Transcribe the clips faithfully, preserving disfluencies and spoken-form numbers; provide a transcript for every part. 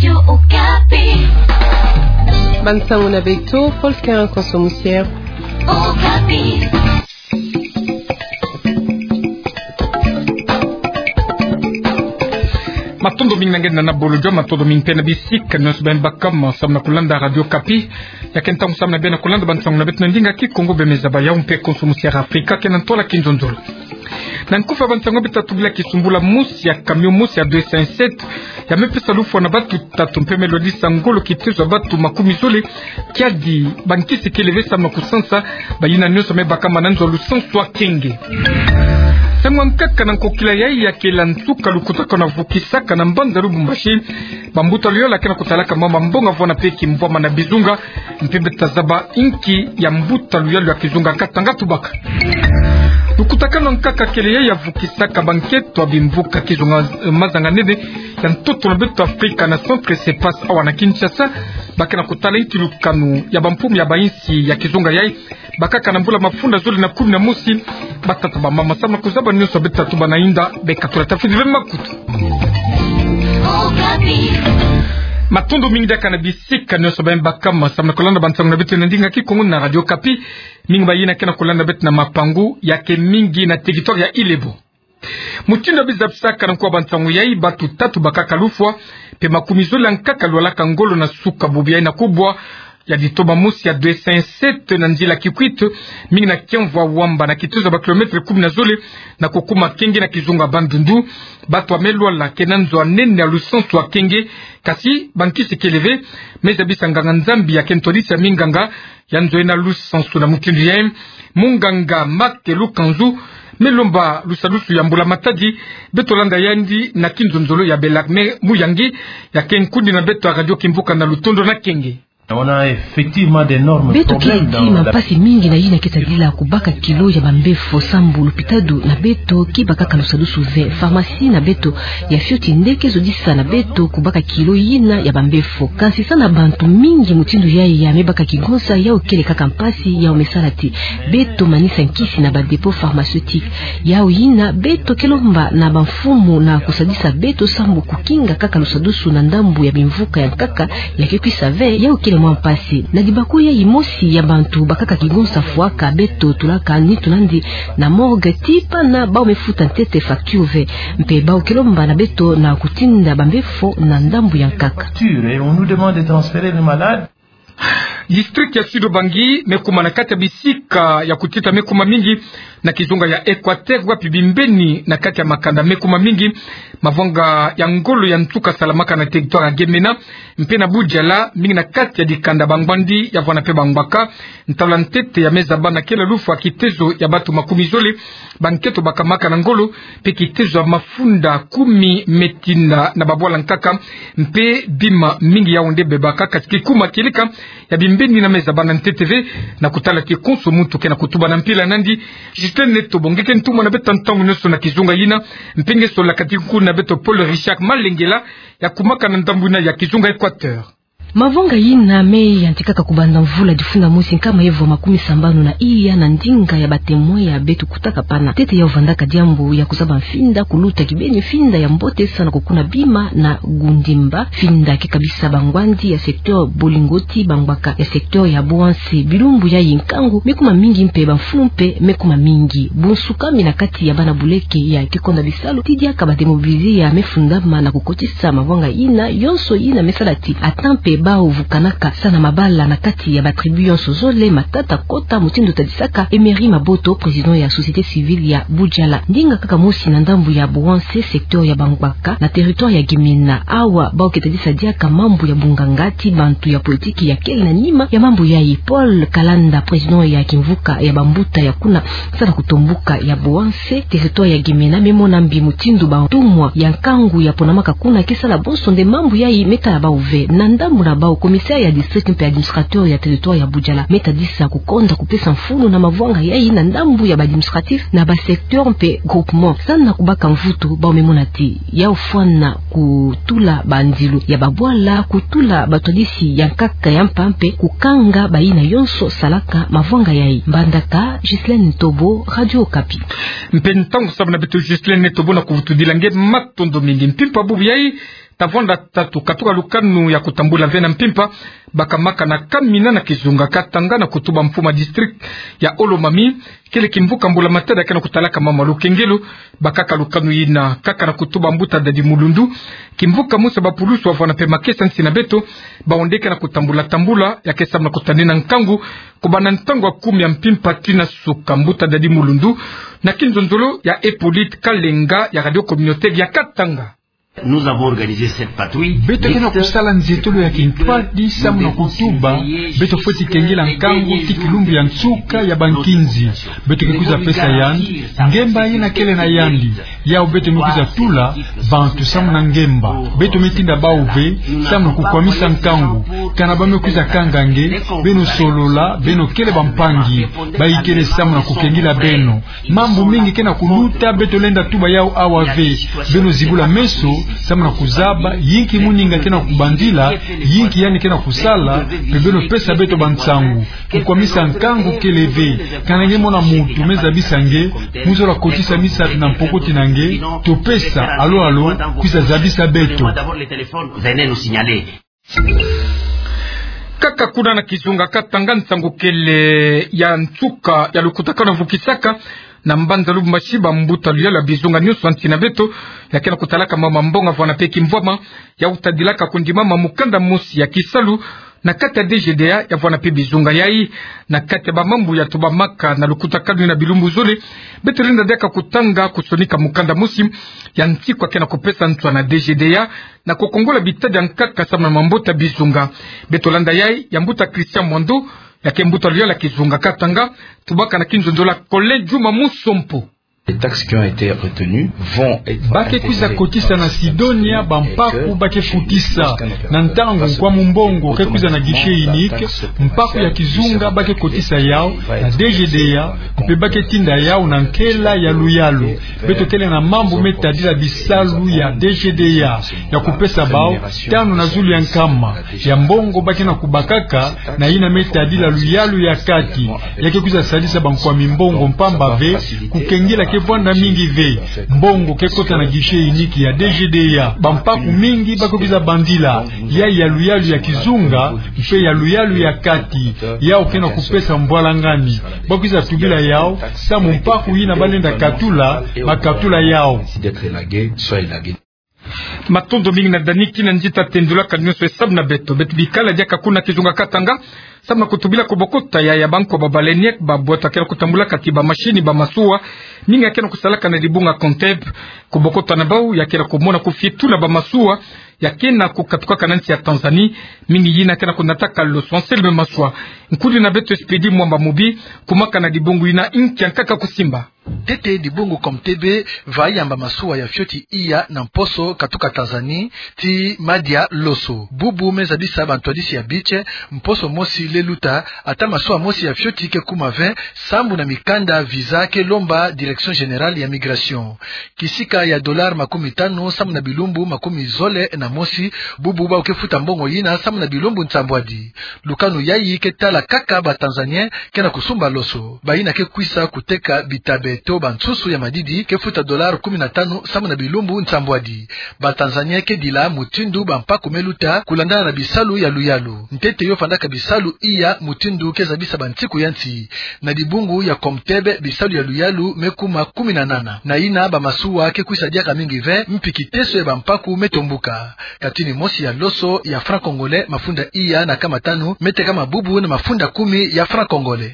Radio Okapi. Bansango na beto, Volker Nkonso Musier. Okapi. Matondo mingi na nge na bolojo, matondo mingi mpe na bisika nyonso beno baka samu na kulanda Radio Okapi. Ya ke ntangu samu na beno kulanda bansango na beto na ndinga Kikongo. Beno me zaba yawu mpe Nkonso Musier Afrika, ke na ntwala kizonzolo. Na nkufi ya bansango beto tatuba, kisumbula mosi ya camion mosi ya deux cent sept ya me pesa lufwa na bantu tatu mpe me lwadisa ngolo kitezo ya bantu makumi zole, kiadi bankisi kele ve samu na kusansa bayina nyonso me baka ma na nzo ya lusansu ya kenge. Nsangu ya nkaka na nkokila yayi ya kela nsuka lukutakanu ya vukisaka na mbanza Lubumbashi bambuta luyala ke na kutalaka mama mbongo vona mpe kimvwama na bizunga, mpe beto tazaba inki ya mbuta luyalu ya kizunga Katanga tubaka. Lukutakanu ya nkaka kele yayi ya vukisaka bankento ya bimvuka kizunga, eh, mazanga nene ya ntoto na beto Afrika na Centre Cepas awa na Kinshasa, ba ke na kutala inki lukanu ya bampumu ya bayinsi ya kizunga yayi bakaka na mbula mafunda zole na kumi na mosi. Batata, bamama, samu na kuzaba nyonso beto tatuba na yinda, beka tula tafidi ve makutu. Matondo mingi diaka na bisika nyonso beno baka samu na kulanda bansango na beto na ndinga Kikongo na Radio Okapi. Mingi bayina ke na kulanda beto na mapangu, ya ke mingi na territoire ya Ilebo. Mutindu ya bizabisaka na nkuwa bansango yayi, bantu tatu bakaka lufwa, mpe makumi zole ya nkaka lwalaka ngolo na suka bubu yayi na kubwa ya ditoma mosi ya deux cent sept na nzila Kikwit, mingi na Kiamvu Wamba, na kitezo ya ba kilomètre kumi na zole na kukuma kenge na kizunga Bandundu. Bantu ya me lwala ke na nzo ya nene ya lusansu ya kenge, kasi bankisi kele ve. Me zabisa nganga-Nzambi ya ke ntwadisi ya minganga ya nzo ena lusansu na mutindu yayi, munganga Marc Lukanzu, me lomba lusadusu ya mbula-matadi. Beto landa yandi na kizonzolo ya Bellarmine Muyangi, ya ke nkundi na beto ya Radio Kimvuka na lutondo na kenge. On a effectivement d'énormes problèmes dans la... Beto kele tii mampasi mingi na yina ke tadila kubaka kilo ya bambefo, sambu lopitalo na beto ke bakaka lusadusu ve. Pharmacie na beto ya fioti nde ke zodisa na beto kubaka kilo yina ya bambefo. Kansi sa na bantu mingi mutindu yayi ya me baka kigonsa, yawu kele kaka mpasi, yawu me sala ti beto manisa nkisi na ba dépôt pharmaceutique. Yawu yina beto ke lomba na bamfumu na kusadisa beto sambu kukinga kaka lusadusu na ndambu ya bimvuka ya nkaka ya ke kwisa ve, yawu kele mwa mpasi. Na dibako yayi, mosi ya bantu bakaka kigonsa fwaka, beto tulaka nitu nandi na morgue tii pana bawu me futa ntete facture ve. Mpe bawu ke lomba na beto na kutinda bambefo na ndambu ya nkaka. Facture, et on nous demande de transférer le malade. District ya Sud-Ubangi me kuma na kati ya bisika ya kutita me kuma mingi na kizunga ya Equateur, wapi bimbeni na kati ya makanda me kuma mingi. Mavwanga ya ngolo ya nsuka salamaka na territoire ya Gemena mpe na Budjala, mingi na kati ya dikanda Bangwandi ya vwanda mpe Bangwaka. Ntalu ya ntete ya me zaba na kela lufwa kitezo ya bantu makumi zole bankento bakamaka na ngolo, mpe kitezo ya mafunda kumi me tinda na babwala nkaka, mpe bima mingi yawu nde bebaka. Kati kikuma kieleka ya bimbeni yina me zaba na ntete ve, na kutala ti konso muntu ke na kutuba na mpila nandi. Justin Netobo, nge ke ntumwa na beto ntangu nyonso na kizunga yina, mpe nge sola kati kuna beto Paul Richard Malengela, ya kumaka na ndambu yina ya kizunga Equateur. Mavwanga yina me yantikaka kubanda mvula difunda mosi nkama evo makumi sambanu na iya na ndinga ya ba témoins ya beto kutaka pana. Ntete yawu vandaka diambu ya kuzaba mfinda, kuluta kibeni mfinda ya mbote sa na kukuna bima na gundimba. Mfinda ke kabisa Bangwandi ya secteur Bolingoti, Bangwaka ya secteur ya Bouansé. Bilumbu yayi nkangu me kuma mingi mpe bamfulu mpe me kuma mingi. Bunsukami na kati ya bana buleke ya kikonda bisalu ti diaka ba démobilisés ya me fundama na kukotisa mavwanga yina yonso yina me sala ti ata mpe bawu vukanaka sa na mabala na kati ya ba tribus yonso zole, matata kota, mutindu tadisaka Emery Maboto, président ya société civile ya Budjala. Ndinga kaka mosi na ndambu ya Bouansé, secteur ya Bangwaka, na territoire ya Gemena. Awa bawu ke tadisa diaka mambu ya bunganga ti bantu ya politiki ya kele na nima ya mambu yayi. Paul Kalanda, président ya kimvuka ya bambuta ya kuna, sa na kutombuka ya Bouansé, territoire ya Gemena, me mona mbi mutindu bantumwa ya nkangu ya ponamaka kuna ke sala bonso nde mambu yayi me tala bawu ve. Na ndambu na bawu, commissaire ya district mpe administrateur ya territoire ya Budjala me tadisa kukonda kupesa mfunu na mavwanga yayi na ndambu ya ba administratifs na ba secteurs mpe groupements. Sa na kubaka mvutu, bawu me mona ti yawu fwana kutula bandilu ya babwala, kutula batwadisi ya nkaka ya mpa mpe kukanga bayina yonso salaka mavwanga yayi. Mbandaka, Ghislaine Netobo, Radio Okapi. Mpe ntangu samu na beto Ghislaine Netobo na kuvutudila nge, matondo mingi. Mpimpa bubu yayi, Tavwanda tatu katuka lukanu ya kutambula ve na mpimpa, bakamaka na kamina na kizunga Katanga na kutuba mfumu ya district ya Haut-Lomami, kele kimvuka mbula matadi ya ke na kutalaka mama lukengelo, bakaka lukanu yina kaka na kutuba mbuta Dadi Mulundu. Kimvuka mosi ya bapulusu wavwanda mpe makesa nsi na beto, baonde ke na kutambula tambula, ya ke samu na kutanina nkangu, kubanda ntangu ya kumi ya mpimpa tii na suka. Mbuta Dadi Mulundu, na kinzonzolo ya Hippolyte Kalenga ya Radio Communautaire ya Katanga. Nous avons organisé cette patrouille. Beto ke na kusala nzietolo ya kintwadi samu na kutuba, beto fweti kengela nkangu tii kilumbu ya nsuka ya bankinzi. Beto ke kwiza pesa yandi ngemba yina kele na yandi. Yau beto me kwiza tula bantu samu na ngemba. Beto me tinda bau ve samu na kukwamisa nkangu. Kana ba me kwiza kanga nge, beno solola, beno kele bampangi. Bayikele samu na kukengela beno. Mambu mingi ke na kuluta, beto lenda tuba yau awa ve. Beno zibula meso samu na kuzaba yinki muninga ke na kubandila, yinki yandi ke na kusala, mpe beno pesa beto bansangu. Kukwamisa nkangu kele ve. Kana nge mona muntu me zabisa nge, mu zola kotisa misato na mpokoti na nge, to pesa, alo alo, kwiza zabisa beto. Kaka kuna na kizunga Katanga, nsangu kele ya nsuka ya lukutakanu vukisaka na mbanza Lubumbashi bambuta luyalu ya bizunga nyonso ya nsi na beto, ya ke na kutalaka mama mbongo vwanda mpe kimvwama, ya utadilaka kundimama mukanda mosi ya kisalu na kati ya D G D A, ya vwanda mpe bizunga yai. Na kati ya bamambu ya tubamaka na lukutakanu na bilumbu zole, beto lenda diaka kutanga kusonika mukanda mosi ya nsiku ya ke na kupesa nswa na D G D A, na kukongola bitadi ya nkaka samu na mambota bizunga. Beto landa yai ya mbuta Christian Mwando, ya ke mbuta luyalu ya kizunga Katanga, tubaka na kinzonzolo ya Colin Juma Musompo. Les taxes qui ont été retenues vont être intégrées dans le système. Ba ke kwiza kotisa na Sidonia bampaku ba ke futisa. Na ntangu nkwamu mbongo ke kwiza na guichet unique, mpaku ya kizunga ba ke kotisa yau na D G D A, mpe ba ke tinda yau na nkela ya luyalu. Beto kele na mambu me tadila bisalu ya D G D A, ya kupesa bau tanu na zulu ya nkama ya mbongo ba ke na kubakaka, na yina me tadila luyalu ya kati. Ya ke kwiza sadisa bankwami mbongo mpamba ve, kukengela ke vwanda mingi ve. Mbongo ke kota na guichet unique ya D G D A. Bampaku mingi ba ke kwiza bandila, ya, ya luyalu ya kizunga, mpe ya luyalu ya kati. Yau ke na kupesa mbwalangani. Ba kwiza tubila yau samu mpaku yina ba lenda katula, ba katula yau. Matondo mingi na Dani Kinanzita tendulaka nyonso e samu na beto. Beto bikala diaka kuna kizunga Katanga samu na kutubila kubokota ya, ya banko ba baleinière, babwatu ya ke na kutambulaka tii bamashini, bamasuwa mingi ya ke na kusalaka na dibunga Conteb. Kubokota na bau ya ke na kumona kufietula bamasuwa ya ke na kukatukaka na nsi ya Tanzanie, mingi yina ke na kunataka loso. Anselme Maswa, nkundi na beto Expédit Mwamba Mubi, kumaka na dibungu yina, inki ya nkaka kusimba. Ntete dibungu Conteb va yamba masuwa ya fioti iya na mposo katuka Tanzanie tii madia loso. Bubu me zabisa bantwadisi ya beach mposo mosi le luta, ata masuwa mosi ya fioti ke kuma ve, sambu na mikanda visa ke lomba Direction Générale ya Migration. Kisika ya dollar makumi tanu samu na bilumbu makumi zole na mosi, bubu bau ke futa mbongo yina samu na bilumbu nsambwadi. Lukanu yayi ke tala kaka ba Tanzanien ke na kusumba loso, bayina ke kwisa kuteka bitabe to bansusu ya madidi ke futa dollar kumi na tanu samu na bilumbu nsambwadi. Ba Tanzanien ke dila mutindu bampaku me luta kulandana na bisalu ya luyalu. Ntete yo fandaka bisalu iya mutindu ke zabisa bansiku ya nsi. Na dibungu ya Conteb bisalu ya luyalu me kuma kumi na nana. Na yina bamasuwa ke kwisa diaka mingi ve, mpi kiteso ya bampaku me tombuka. Katini mosi ya loso ya franc congolais mafunda iya na kama tanu, me tekama bubu na mafunda kumi ya franc congolais.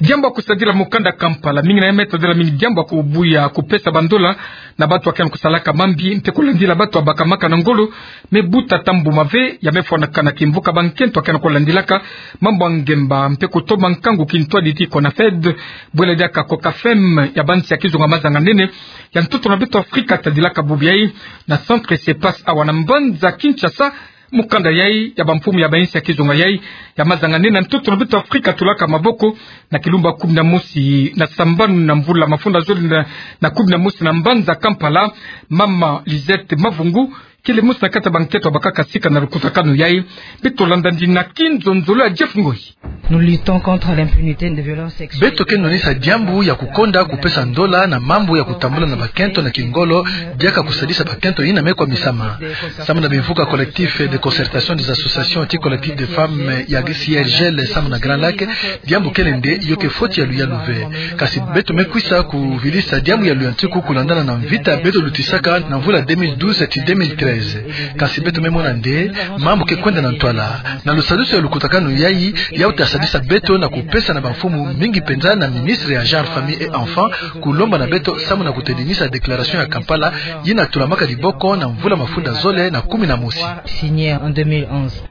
Diambu ya kusadila mukanda Kampala, mingi na ya me tadila mingi diambu ya kubuya kupesa bandola na bantu ya ke na kusalaka mambi, mpe kulandila bantu ya bakamaka na ngolo me buta ata mbuma ve, ya me fwanakana kimvuka bankento ya ke na kulandilaka mambu ya ngemba, mpe kutomba nkangu kintwadi tii CONAFED, bwela diaka COCAFEM ya bansi ya kizunga mazanga nene ya ntoto na beto Afrika, tadilaka bubu yayi na Centre CEPAS awa na mbanza Kinshasa. Mukanda yayi ya bamfumu ya bansi ya kizunga yayi ya mazanga nene ya ntoto na beto Afrika tulaka maboko na kilumbu ya kumi na mosi na sambanu na mvula mafunda zole na, na kumi na mosi na mbanza Kampala. Mama Lisette Mavungu, Kele mosi na kati ya bankento yabakaka sika na lukutakanu yayi. Beto landa ndina kinzonzolo ya Jeff Ngoyi. Nous luttons contre l'impunité de violence sexuelle. Beto ke nwanisa diambu ya kukonda kupesa ndola na mambu ya kutambula na bakento na kingolo, diaka kusadisa bakento yina me kwamisama. Samu na bimvuka collectif de concertation des associations ti collectif de femmes ya C R G L samu na Grand Lac, diambu kele nde yo ke foti ya luyalu ve. Kasi beto me kwisa kuvilisa diambu ya luyantiku kulandana na mvita beto lutisaka na mvula deux mille douze ti deux mille treize. Kasi beto me mona nde mambu ke kwenda na ntwala. Na lusadusu ya lukutakanu yayi, yawu ta sadisa beto na kupesa na bamfumu mingi penza na ministre ya Genre, Famille et Enfants, kulomba na beto samu na kuteninisa déclaration ya Kampala, yina tulamaka diboko na mvula mafunda zole na kumi na mosi. Signé en deux mille onze.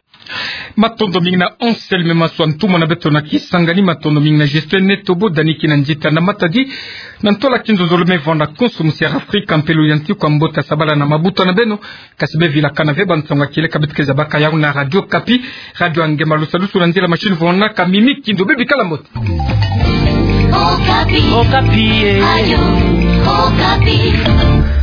Matondo mingi na Anselme Maswa, ntumwa na beto na kisangani. Matondo mingi na Justin Netobo, Dani Kinanzita na Matadi. Na ntwala kinzonzolo me vanda konso musi ya Afrika, mpe luyantiku ya mbote, sabala na mabuta na beno. Kasi bevilakana ve, bansango ya kieleka beto ke zabaka yawu na Radio Okapi, radio ya nge. Ma lusadusu na nzila machine vonaka Mimi Kindo. Bebikala mbote. Okapi. Okapi, eh. Radio Okapi.